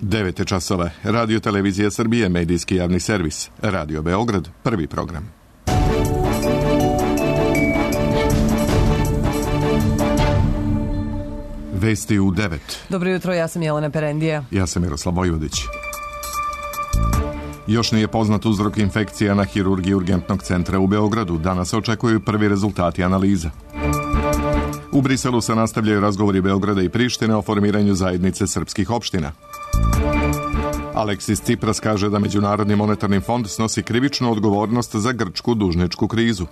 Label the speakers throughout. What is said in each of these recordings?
Speaker 1: 9 časova. Radio Televizija Srbije, medijski javni servis. Radio Beograd, prvi program. Vesti u 9.
Speaker 2: Dobro jutro, ja sam Jelena Perendija.
Speaker 1: Ja sam Miroslav Vojvodić. Još nije poznat uzrok infekcija na hirurgiji urgentnog centra u Beogradu. Danas se očekuju prvi rezultati analiza. U Briselu se nastavljaju razgovori Beograda i Prištine o formiranju zajednice srpskih opština. Aleksis Tsipras kaže da Međunarodni monetarni fond snosi krivičnu odgovornost za grčku dužničku krizu.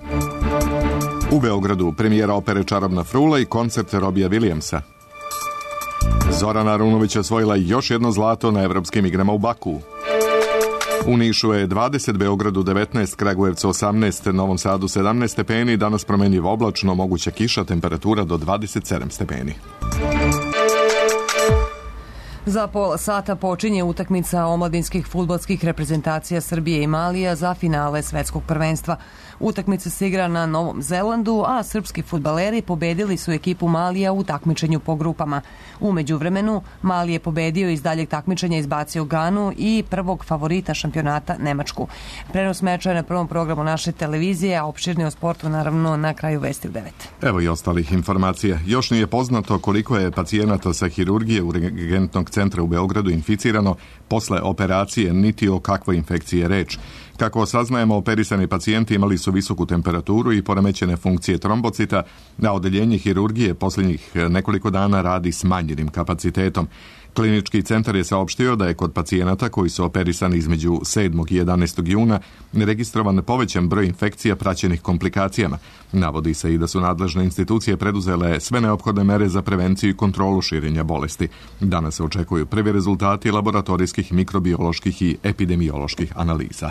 Speaker 1: U Beogradu premijera opere Čarobna frula i koncert Robija Williamsa. Zorana Arunović osvojila još jedno zlato na evropskim igrama u Bakuu. U Nišu je 20, Beogradu 19, Kragujevcu 18, Novom Sadu 17 stepeni, danas promenljivo oblačno, moguća kiša, temperatura do 27 stepeni.
Speaker 2: Za pola sata počinje utakmica omladinskih fudbalskih reprezentacija Srbije i Malija za finale svetskog prvenstva. Utakmica se igra na Novom Zelandu, a srpski fudbaleri pobedili su ekipu Malija u takmičenju po grupama. U međuvremenu, Mali je pobedio iz daljeg takmičenja izbacio Ganu i prvog favorita šampionata Nemačku. Prenos meča je na prvom programu naše televizije, a opširni o sportu naravno na kraju vesti u 9.
Speaker 1: Evo i ostalih informacija. Još nije poznato koliko je pacijenata sa hirurgije urgentnog centra u Beogradu inficirano posle operacije, niti o kakvoj infekciji je reč. Kako saznajemo, operisani pacijenti imali su visoku temperaturu i poremećene funkcije trombocita, a odeljenje hirurgije posljednjih nekoliko dana radi s manjenim kapacitetom. Klinički centar je saopštio da je kod pacijenata koji su operisani između 7. i 11. juna registrovan povećan broj infekcija praćenih komplikacijama. Navodi se i da su nadležne institucije preduzele sve neophodne mere za prevenciju i kontrolu širenja bolesti. Danas se očekuju prvi rezultati laboratorijskih, mikrobioloških i epidemioloških analiza.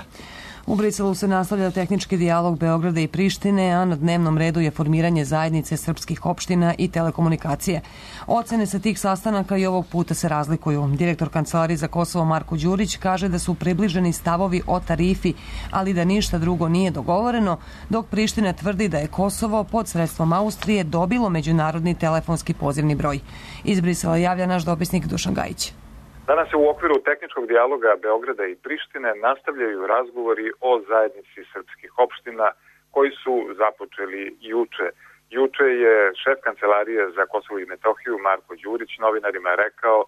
Speaker 2: U Briselu se nastavlja tehnički dijalog Beograda i Prištine, a na dnevnom redu je formiranje zajednice srpskih opština i telekomunikacije. Ocene sa tih sastanaka i ovog puta se razlikuju. Direktor Kancelarije za Kosovo Marko Đurić kaže da su približeni stavovi o tarifi, ali da ništa drugo nije dogovoreno, dok Priština tvrdi da je Kosovo pod sredstvom Austrije dobilo međunarodni telefonski pozivni broj. Iz Brisela javlja naš dopisnik Dušan Gajić.
Speaker 3: Danas se u okviru tehničkog dijaloga Beograda i Prištine nastavljaju razgovori o zajednici srpskih opština koji su započeli juče. Juče je šef Kancelarije za Kosovo i Metohiju Marko Đurić novinarima rekao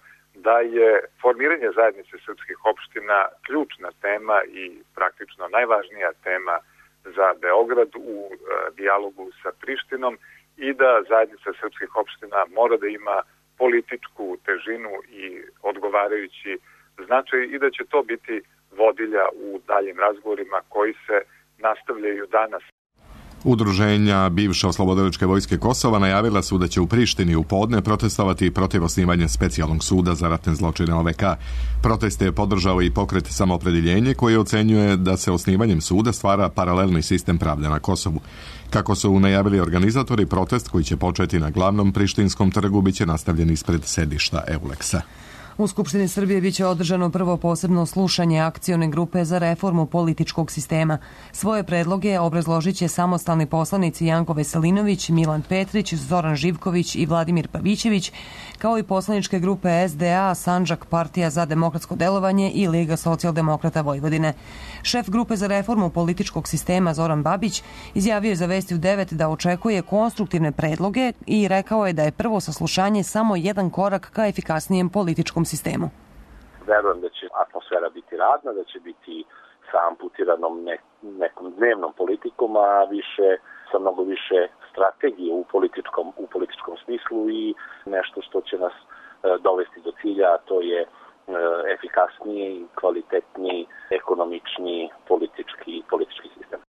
Speaker 3: da je formiranje zajednice srpskih opština ključna tema i praktično najvažnija tema za Beograd u dijalogu sa Prištinom i da zajednica srpskih opština mora da ima političku težinu i odgovarajući značaj i da će to biti vodilja u daljim razgovorima koji se nastavljaju danas.
Speaker 1: Udruženja bivše oslobodilačke vojske Kosova najavila su da će u Prištini u podne protestovati protiv osnivanja specijalnog suda za ratne zločine OVK. Proteste je podržao i pokret Samoopredjeljenje koji ocenjuje da se osnivanjem suda stvara paralelni sistem pravde na Kosovu. Kako su najavili organizatori, protest koji će početi na glavnom prištinskom trgu biće nastavljen ispred sedišta Euleksa.
Speaker 2: U Skupštini Srbije biće održano prvo posebno slušanje akcione grupe za reformu političkog sistema. Svoje predloge obrazložit će samostalni poslanici Janko Veselinović, Milan Petrić, Zoran Živković i Vladimir Pavićević, kao i poslaničke grupe SDA, Sandžak, Partija za demokratsko delovanje i Liga socijaldemokrata Vojvodine. Šef grupe za reformu političkog sistema Zoran Babić izjavio je za Vesti u 9 da očekuje konstruktivne predloge i rekao je da je prvo saslušanje samo jedan korak ka efikasnijem političkom sistemu.
Speaker 4: Verujem da će atmosfera biti radna, da će biti sa amputiranom nekom dnevnom politikom, a sa mnogo više strategije u političkom smislu i nešto što će nas dovesti do cilja, a to je efikasniji, kvalitetniji, ekonomičniji politički sistem.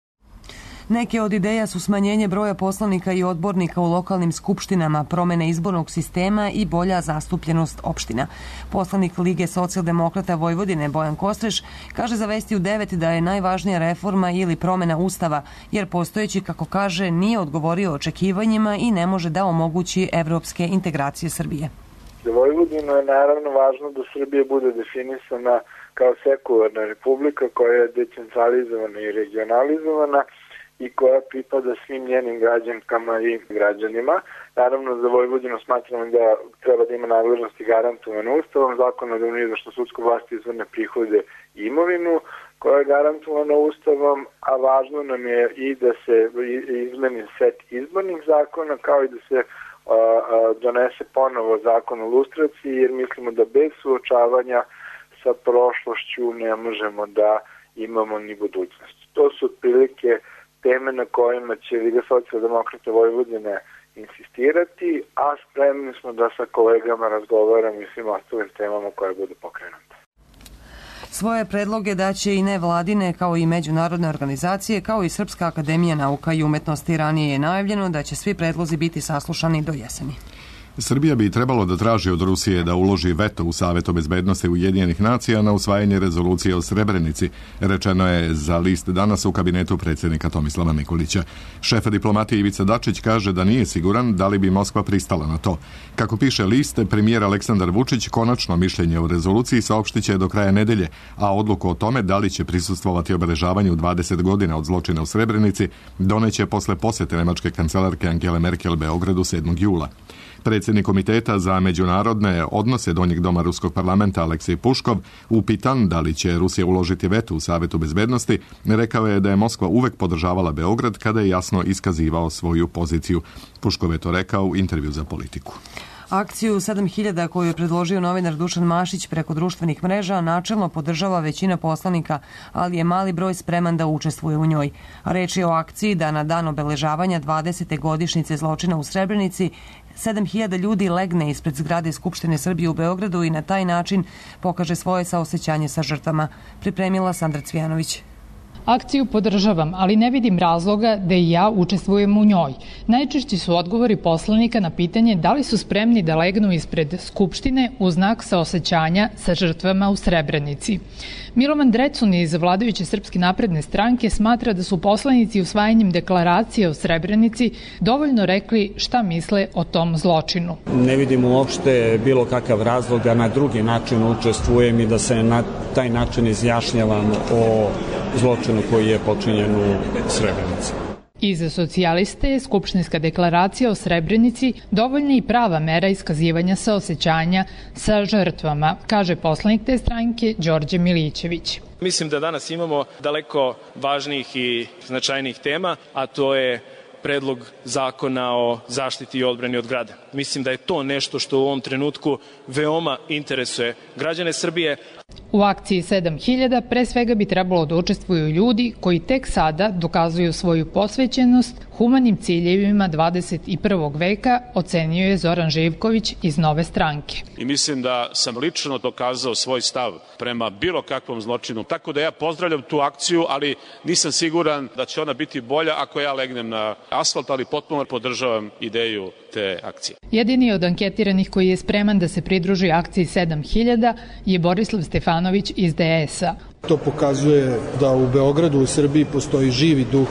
Speaker 2: Neke od ideja su smanjenje broja poslanika i odbornika u lokalnim skupštinama, promene izbornog sistema i bolja zastupljenost opština. Poslanik Lige socijaldemokrata Vojvodine Bojan Kostreš kaže za Vesti u 9 da je najvažnija reforma ili promena Ustava, jer postojeći, kako kaže, nije odgovorio očekivanjima i ne može da omogući evropske integracije Srbije.
Speaker 5: Za Vojvodinu je naravno važno da Srbija bude definisana kao sekularna republika koja je decentralizovana i regionalizovana i koja pripada svim njenim građankama i građanima. Naravno, za Vojvodinu smatramo da treba da ima nadležnosti garantovane Ustavom, zakona da nije zašto sudsko vlasti izvrne prihode i imovinu koja je garantovana Ustavom, a važno nam je i da se izmeni set izbornih zakona, kao i da se donese ponovo zakon o lustraciji, jer mislimo da bez suočavanja sa prošlošću ne možemo da imamo ni budućnost. To su otprilike teme na kojima će Liga socijaldemokrata Vojvodine insistirati, a spremni smo da sa kolegama razgovaramo i svim ostalim temama koje budu pokrenute.
Speaker 2: Svoje predloge daće i nevladine kao i međunarodne organizacije, kao i Srpska akademija nauka i umetnosti. Ranije je najavljeno da će svi predlozi biti saslušani do jeseni.
Speaker 1: Srbija bi trebalo da traži od Rusije da uloži veto u Savetu bezbednosti Ujedinjenih nacija na usvajanje rezolucije o Srebrenici, rečeno je za List danas u kabinetu predsjednika Tomislava Nikolića. Šef diplomatije Ivica Dačić kaže da nije siguran da li bi Moskva pristala na to. Kako piše List, premijer Aleksandar Vučić konačno mišljenje o rezoluciji saopštiće do kraja nedelje, a odluku o tome da li će prisustvovati obeležavanju 20 godina od zločina u Srebrenici doneće posle posete nemačke kancelarke Angele Merkel Beogradu 7. jula. Predsjednik Komiteta za međunarodne odnose Donjeg doma Ruskog parlamenta Aleksej Puškov, upitan da li će Rusija uložiti veto u Savetu bezbednosti, rekao je da je Moskva uvek podržavala Beograd kada je jasno iskazivao svoju poziciju. Puškov je to rekao u intervju za Politiku.
Speaker 2: Akciju 7000 koju je predložio novinar Dušan Mašić preko društvenih mreža načelno podržava većina poslanika, ali je mali broj spreman da učestvuje u njoj. Reč je o akciji da na dan obeležavanja 20. godišnjice zločina u Srebrenici 7000 ljudi legne ispred zgrade Skupštine Srbije u Beogradu i na taj način pokaže svoje saosećanje sa žrtvama. Pripremila Sandra Cvijanović.
Speaker 6: Akciju podržavam, ali ne vidim razloga da i ja učestvujem u njoj. Najčešći su odgovori poslanika na pitanje da li su spremni da legnu ispred Skupštine u znak saosećanja sa žrtvama u Srebrenici. Milovan Drecun iz vladajuće Srpske napredne stranke smatra da su poslanici usvajanjem deklaracije o Srebrenici dovoljno rekli šta misle o tom zločinu.
Speaker 7: Ne vidim uopšte bilo kakav razlog da na drugi način učestvujem i da se na taj način izjašnjavam o zločinu koji je počinjen u Srebrenici.
Speaker 6: I za socijaliste je skupštinska deklaracija o Srebrenici dovoljna i prava mera iskazivanja saosećanja sa žrtvama, kaže poslanik te stranke Đorđe Milićević.
Speaker 8: Mislim da danas imamo daleko važnijih i značajnijih tema, a to je predlog zakona o zaštiti i odbrani od grada. Mislim da je to nešto što u ovom trenutku veoma interesuje građane Srbije.
Speaker 6: U akciji 7000 pre svega bi trebalo da učestvuju ljudi koji tek sada dokazuju svoju posvećenost humanim ciljevima 21. veka, ocenio je Zoran Živković iz Nove stranke.
Speaker 9: I mislim da sam lično dokazao svoj stav prema bilo kakvom zločinu. Tako da ja pozdravljam tu akciju, ali nisam siguran da će ona biti bolja ako ja legnem na asfalt, ali potpuno podržavam ideju te akcije.
Speaker 6: Jedini od anketiranih koji je spreman da se pridruži akciji 7000 je Borislav Stefanović iz DS-a.
Speaker 10: To pokazuje da u Beogradu, u Srbiji postoji živi duh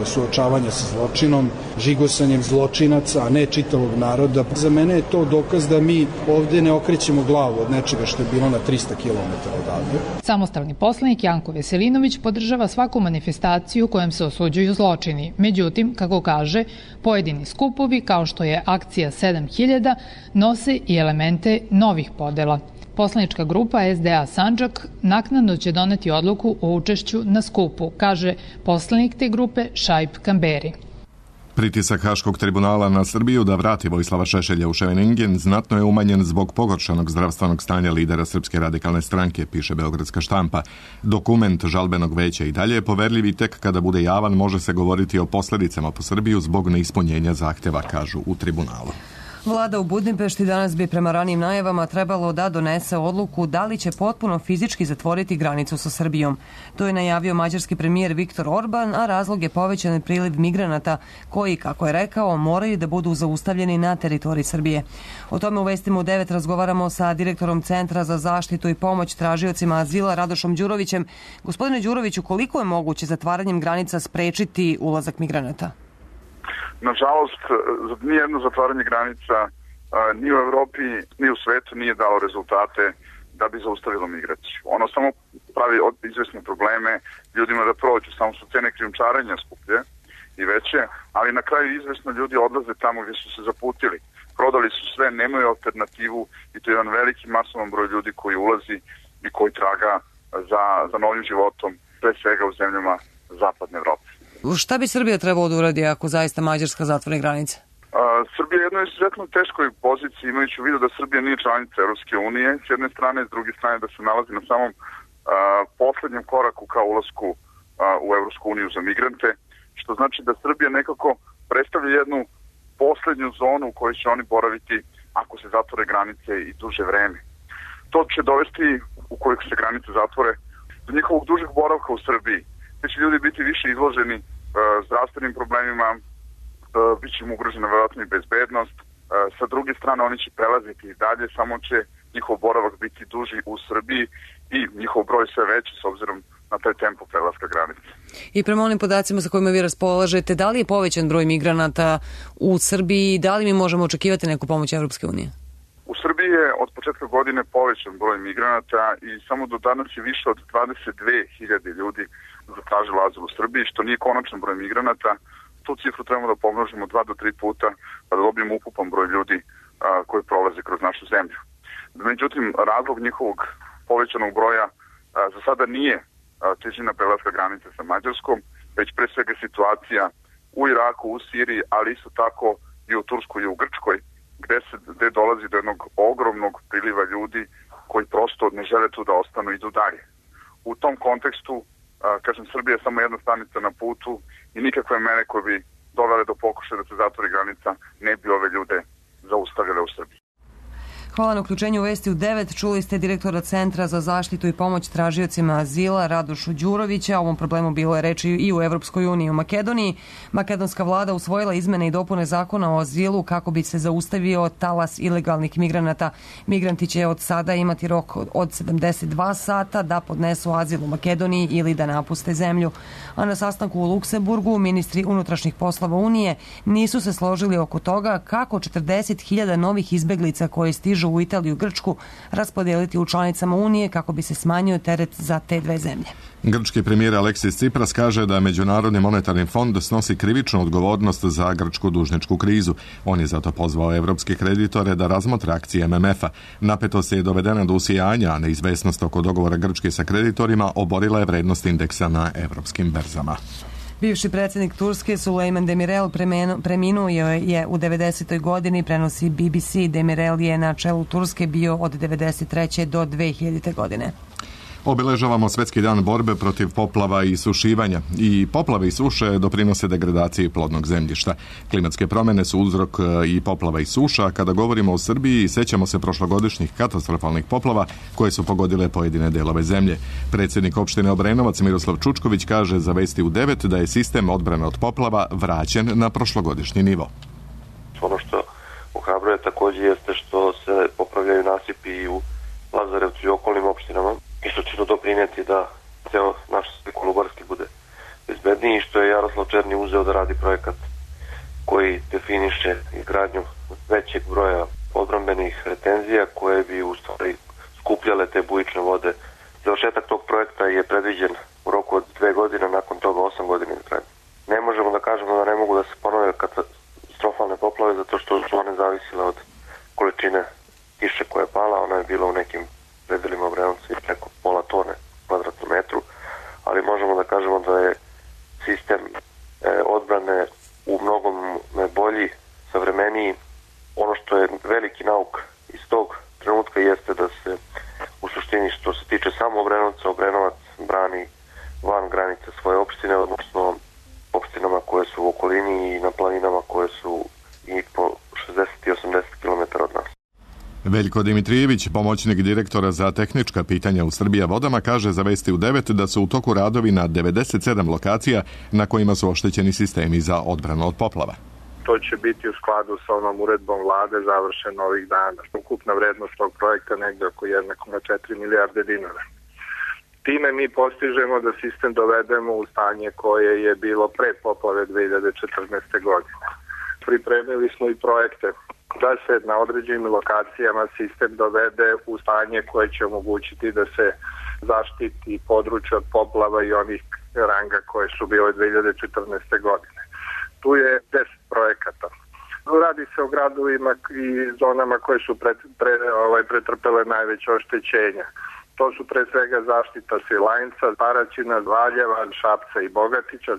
Speaker 10: suočavanja sa zločinom, žigosanjem zločinaca, a ne čitavog naroda. Za mene je to dokaz da mi ovde ne okrećemo glavu od nečega što je bilo na 300 km odavde.
Speaker 6: Samostalni poslanik Janko Veselinović podržava svaku manifestaciju kojom se osuđuju zločini. Međutim, kako kaže, pojedini skupovi, kao što je akcija 7000, nose i elemente novih podela. Poslanička grupa SDA Sandžak naknadno će doneti odluku o učešću na skupu, kaže poslanik te grupe Šaip Kamberi.
Speaker 1: Pritisak Haškog tribunala na Srbiju da vrati Vojislava Šešelja u Ševeningen znatno je umanjen zbog pogoršanog zdravstvenog stanja lidera Srpske radikalne stranke, piše Beogradska štampa. Dokument žalbenog veća i dalje je poverljiv i tek kada bude javan može se govoriti o posledicama po Srbiju zbog neispunjenja zahteva, kažu u tribunalu.
Speaker 2: Vlada u Budimpešti danas bi prema ranijim najavama trebalo da donese odluku da li će potpuno fizički zatvoriti granicu sa Srbijom. To je najavio mađarski premijer Viktor Orban, a razlog je povećan priliv migranata koji, kako je rekao, moraju da budu zaustavljeni na teritoriji Srbije. O tome u Vestima u 9 razgovaramo sa direktorom Centra za zaštitu i pomoć tražiocima azila Radošom Đurovićem. Gospodine Đuroviću, koliko je moguće zatvaranjem granica sprečiti ulazak migranata?
Speaker 11: Nažalost, nijedno zatvaranje granica ni u Evropi, ni u svetu nije dalo rezultate da bi zaustavilo migraciju. Ono samo pravi izvesne probleme ljudima da prođu, samo su cene krijumčarenja skuplje i veće, ali na kraju izvesno ljudi odlaze tamo gdje su se zaputili. Prodali su sve, nemaju alternativu i to je jedan veliki masovan broj ljudi koji ulazi i koji traga za novim životom, pre svega u zemljama Zapadne Evrope.
Speaker 2: Šta bi Srbija trebalo da uradi ako zaista Mađarska zatvori granice?
Speaker 11: Srbija je u jednoj izuzetno teškoj poziciji, imajući u vidu da Srbija nije članica Europske unije, s jedne strane, s druge strane da se nalazi na samom poslednjem koraku ka ulasku u Europsku uniju za migrante, što znači da Srbija nekako predstavlja jednu poslednju zonu u kojoj će oni boraviti ako se zatvore granice i duže vreme. To će dovesti, ukoliko se granice zatvore, do njihovog dužeg boravka u Srbiji. Gde će ljudi biti više izloženi zdravstvenim problemima, bit će im ugrožena verovatno i bezbednost. Sa druge strane oni će prelaziti i dalje, samo će njihov boravak biti duži u Srbiji i njihov broj sve veći s obzirom na taj tempo prelaska granice.
Speaker 2: I prema onim podacima sa kojima vi raspolažete, da li je povećan broj migranata u Srbiji, da li mi možemo očekivati neku pomoć Evropske unije?
Speaker 11: U Srbiji je od početka godine povećan broj migranata i samo do danas je više od 22.000 ljudi zatražilo azil u Srbiji, što nije konačan broj migranata. Tu cifru trebamo da pomnožimo 2 do 3 puta pa da dobijemo ukupan broj ljudi koji prolaze kroz našu zemlju. Međutim, razlog njihovog povećanog broja za sada nije težina prelaska granice sa Mađarskom, već pre svega situacija u Iraku, u Siriji, ali isto tako i u Turskoj i u Grčkoj, gde dolazi do jednog ogromnog priliva ljudi koji prosto ne žele tu da ostanu i idu dalje. U tom kontekstu, kažem, Srbija je samo jedna stanica na putu i nikakve mere koje bi dovele do pokušaja da se zatvori granica ne bi ove ljude zaustavile u Srbiji.
Speaker 2: Hvala na uključenju u Vesti u 9. Čuli ste direktora Centra za zaštitu i pomoć tražiocima azila Radošu Đurovića. O ovom problemu bilo je reči i u Evropskoj uniji i u Makedoniji. Makedonska vlada usvojila izmene i dopune zakona o azilu kako bi se zaustavio talas ilegalnih migranata. Migranti će od sada imati rok od 72 sata da podnesu azil u Makedoniji ili da napuste zemlju. A na sastanku u Luksemburgu ministri unutrašnjih poslova Unije nisu se složili oko toga kako 40.000 novih izbeglica koje stižu u Italiju i Grčku raspodeliti u članicama Unije kako bi se smanjio teret za te dve zemlje.
Speaker 1: Grčki premijer Aleksis Tsipras kaže da Međunarodni monetarni fond snosi krivičnu odgovornost za grčku dužničku krizu. On je zato pozvao evropske kreditore da razmotre akcije MMF-a. Napetost je dovedena do usijanja, a neizvesnost oko dogovora Grčke sa kreditorima oborila je vrednost indeksa na evropskim berzama.
Speaker 2: Bivši predsjednik Turske Sulejman Demirel preminuo je u 90. godini, prenosi BBC. Demirel je na čelu Turske bio od 93. do 2000. godine.
Speaker 1: Obeležavamo Svetski dan borbe protiv poplava i sušivanja. I poplave i suše doprinose degradaciji plodnog zemljišta. Klimatske promjene su uzrok i poplava i suša. Kada govorimo o Srbiji, sećamo se prošlogodišnjih katastrofalnih poplava koje su pogodile pojedine delove zemlje. Predsjednik opštine Obrenovac Miroslav Čučković kaže za Vesti u 9 da je sistem odbrane od poplava vraćen na prošlogodišnji nivo.
Speaker 12: Ono što ohrabruje također jeste što se popravljaju nasipi u Lazarevcu i okolnim opštinama i što će to doprinijeti da ceo naš Kolubarski bude bezbedniji, što je Jaroslav Černi uzeo da radi projekat koji definiše izgradnju većeg broja odbrambenih retenzija koje bi u stvari skupljale te bujične vode. Završetak tog projekta je predviđen u roku od 2 godine, nakon toga 8 godina izgradnje. Ne možemo da kažemo da ne mogu da se ponove katastrofalne poplave zato što su one zavisile od količine kiše koja je pala. Ona je bila u nekim predelima Obrenovca i preko pola tone kvadratnom metru, ali možemo da kažemo da je sistem odbrane u mnogom bolji, savremeniji. Ono što je veliki nauk iz tog trenutka jeste da se u suštini što se tiče samo Obrenovca, Obrenovac brani van granice svoje opštine, odnosno opštinama koje su u okolini i na planinama koje su i po 60 i 80 km od nas.
Speaker 1: Veljko Dimitrijević, pomoćnik direktora za tehnička pitanja u Srbija vodama, kaže za Vesti u 9 da su u toku radovi na 97 lokacija na kojima su oštećeni sistemi za odbranu od poplava.
Speaker 5: To će biti u skladu sa onom uredbom vlade završeno ovih dana. Ukupna vrednost tog projekta negde oko 1,4 milijarde dinara. Time mi postižemo da sistem dovedemo u stanje koje je bilo pre poplave 2014. godine. Pripremili smo i projekte da se na određenim lokacijama sistem dovede u stanje koje će omogućiti da se zaštiti područje od poplava i onih ranga koje su bile 2014. godine.
Speaker 13: Tu je 10 projekata. Radi se o gradovima i zonama koje su pretrpele najveće oštećenja. To su pre svega zaštita Svilajnca, Paraćina, Valjeva, Šapca i Bogatića.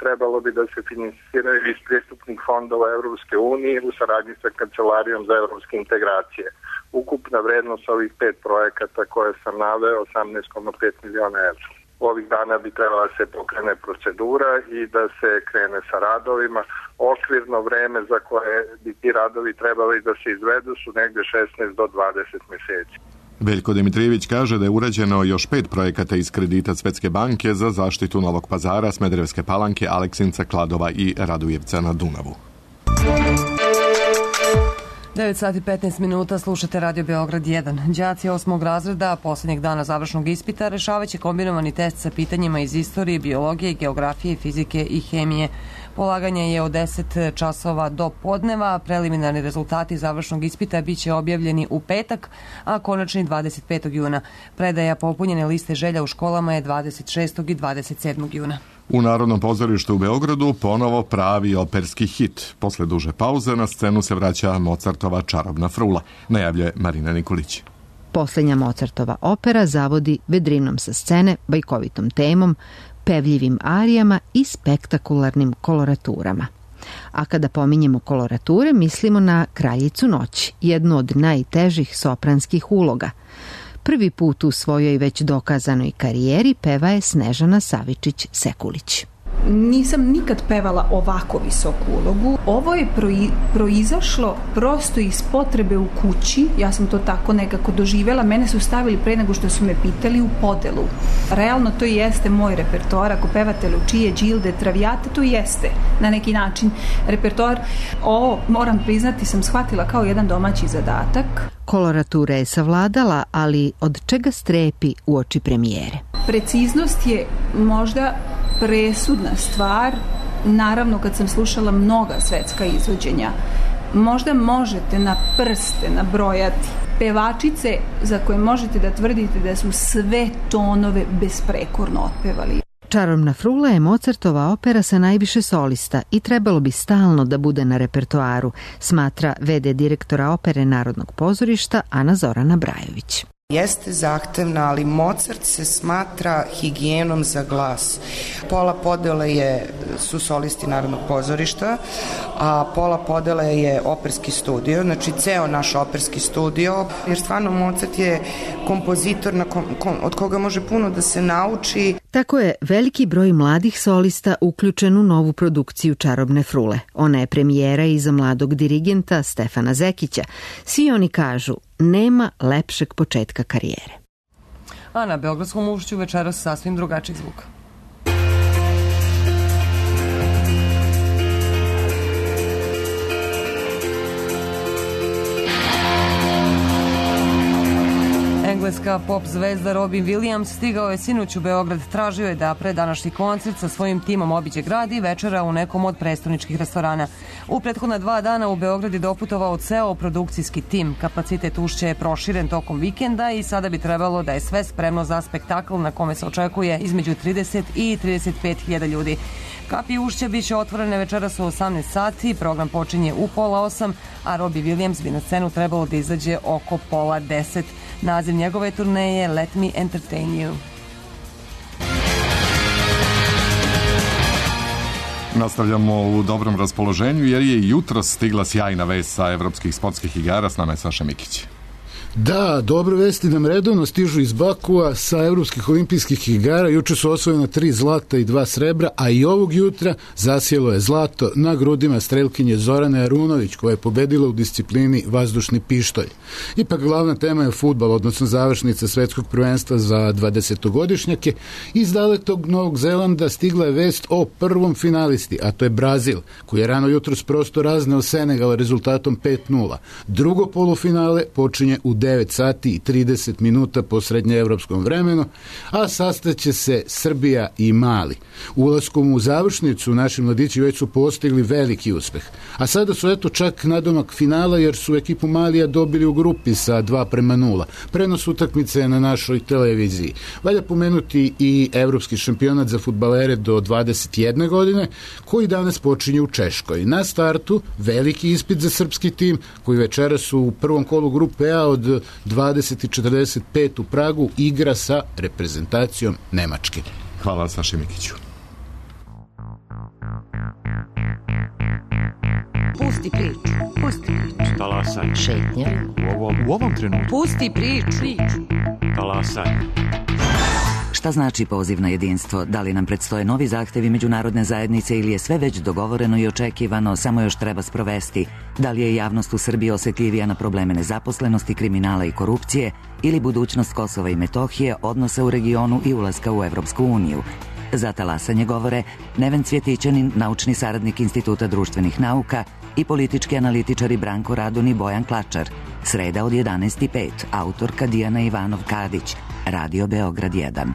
Speaker 13: Trebalo bi da se finansiraju iz pristupnih fondova Evropske unije u saradnji sa Kancelarijom za evropske integracije. Ukupna vrednost ovih 5 projekata koje sam naveo 18,5 miliona evra. Ovih dana bi trebala se pokrene procedura i da se krene sa radovima. Okvirno vreme za koje bi ti radovi trebali da se izvedu su negde 16 do 20 meseci.
Speaker 1: Veljko Dimitrijević kaže da je urađeno još 5 projekata iz kredita Svetske banke za zaštitu Novog Pazara, Smederevske Palanke, Aleksinca, Kladova i Radujevca na Dunavu.
Speaker 2: 9 sati 15 minuta, slušate Radio Beograd 1. Đaci 8. razreda poslednjeg dana završnog ispita rešavaće kombinovani test sa pitanjima iz istorije, biologije, geografije, fizike i hemije. Polaganje je od 10 časova do podneva. Preliminarni rezultati završnog ispita biće objavljeni u petak, a konačni 25. juna. Predaja popunjene liste želja u školama je 26. i 27. juna.
Speaker 1: U Narodnom pozorištu u Beogradu ponovo pravi operski hit. Posle duže pauze na scenu se vraća Mozartova Čarobna frula, najavljuje Marina Nikolić.
Speaker 14: Poslednja Mozartova opera zavodi vedrinom sa scene, bajkovitom temom, pevljivim arijama i spektakularnim koloraturama. A kada pominjemo kolorature, mislimo na Kraljicu noći, jednu od najtežih sopranskih uloga. Prvi put u svojoj već dokazanoj karijeri peva je Snežana Savičić-Sekulić.
Speaker 15: Nisam nikad pevala ovako visoku ulogu. Ovo je proizašlo prosto iz potrebe u kući. Ja sam to tako nekako doživjela. Mene su stavili pre nego što su me pitali u podelu. Realno to jeste moj repertoar. Ako pevate Lučije, Đilde, Travijate, to jeste na neki način repertoar. Ovo, moram priznati, sam shvatila kao jedan domaći zadatak.
Speaker 14: Koloratura je savladala, ali od čega strepi uoči premijere?
Speaker 15: Preciznost je možda presudna stvar. Naravno, kad sam slušala mnoga svetska izvođenja, možda možete na prste nabrojati pevačice za koje možete da tvrdite da su sve tonove besprekorno otpevali.
Speaker 14: Čarobna frula je Mozartova opera sa najviše solista i trebalo bi stalno da bude na repertoaru, smatra v.d. direktora opere Narodnog pozorišta Ana Zorana Brajović.
Speaker 16: Jeste zahtevna, ali Mozart se smatra higijenom za glas. Pola podele su solisti Narodnog pozorišta, a pola podele je operski studio, znači ceo naš operski studio, jer stvarno Mozart je kompozitor od koga može puno da se nauči.
Speaker 14: Tako je veliki broj mladih solista uključen u novu produkciju Čarobne frule. Ona je premijera i za mladog dirigenta Stefana Zekića. Svi oni kažu, nema lepšeg početka karijere.
Speaker 2: A na Beogradskom ušću večeras sasvim drugačiji zvuk. Engleska pop zvezda Robin Williams stigao je sinoć u Beograd, tražio je da pre današnji koncert sa svojim timom obiđe grad i večera u nekom od prestoničkih restorana. U prethodna 2 dana u Beograd je doputovao ceo produkcijski tim. Kapacitet ušća je proširen tokom vikenda i sada bi trebalo da je sve spremno za spektakl na kome se očekuje između 30 i 35.000 ljudi. Kapi ušća biće otvorene večeras u 18 sati, program počinje u 9:30, a Robbie Williams bi na scenu trebalo da izađe oko 9:30. Naziv njegove turneje Let Me Entertain You.
Speaker 1: Nastavljamo u dobrom raspoloženju jer je jutro stigla sjajna vest sa evropskih sportskih igara. S nama je Saša Mikić.
Speaker 17: Da, dobre vesti nam redovno stižu iz Bakua sa evropskih olimpijskih igara. Juče su osvojena 3 zlata i 2 srebra, a i ovog jutra zasjelo je zlato na grudima strelkinje Zorane Arunović, koja je pobedila u disciplini vazdušni pištolj. Ipak glavna tema je fudbal, odnosno završnica svetskog prvenstva za 20-godišnjake. Iz dalekog Novog Zelanda stigla je vest o prvom finalisti, a to je Brazil, koji je rano jutros prosto razneo Senegal rezultatom 5:0. Drugo polufinale počinje u 9 sati i 30 minuta po srednjeevropskom vremenu, a sastaće se Srbija i Mali. Ulaskom u završnicu naši mladići već su postigli veliki uspeh. A sada su eto čak nadomak finala jer su ekipu Malija dobili u grupi sa 2:0. Prenos utakmice je na našoj televiziji. Valja pomenuti i evropski šampionat za fudbalere do 21 godine koji danas počinje u Češkoj. Na startu veliki ispit za srpski tim koji večeras u prvom kolu grupe A od 20:45 u Pragu igra sa reprezentacijom Nemačke.
Speaker 1: Hvala Saši Mikiću.
Speaker 18: Pusti priču. Pusti priču.
Speaker 19: Talasaj.
Speaker 18: Šetnja.
Speaker 19: U ovom trenutku.
Speaker 18: Pusti priču.
Speaker 19: Talasaj.
Speaker 18: Šta znači poziv na jedinstvo? Da li nam predstoje novi zahtevi međunarodne zajednice ili je sve već dogovoreno i očekivano, samo još treba sprovesti? Da li je javnost u Srbiji osetljivija na probleme nezaposlenosti, kriminala i korupcije ili budućnost Kosova i Metohije, odnosa u regionu i ulaska u Evropsku uniju? Za talasanje govore Neven Cvjetićanin, naučni saradnik Instituta društvenih nauka, i politički analitičari Branko Radun i Bojan Klačar. Sreda od 11:05, autorka Dijana Ivanov-Kadić, Radio Beograd 1.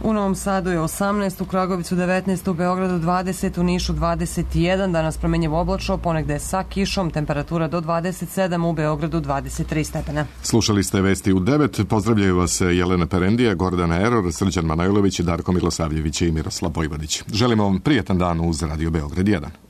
Speaker 2: U Novom Sadu je 18, u Kragovicu 19, u Beogradu 20, u Nišu 21, danas promenjivo oblačno, ponegde sa kišom, temperatura do 27, u Beogradu 23 stepena.
Speaker 1: Slušali ste vesti u 9, pozdravljaju vas Jelena Perendija, Gordana Eror, Srđan Manojlović, Darko Milosavljević i Miroslav Vojvodić. Želimo vam prijetan dan uz Radio Beograd 1.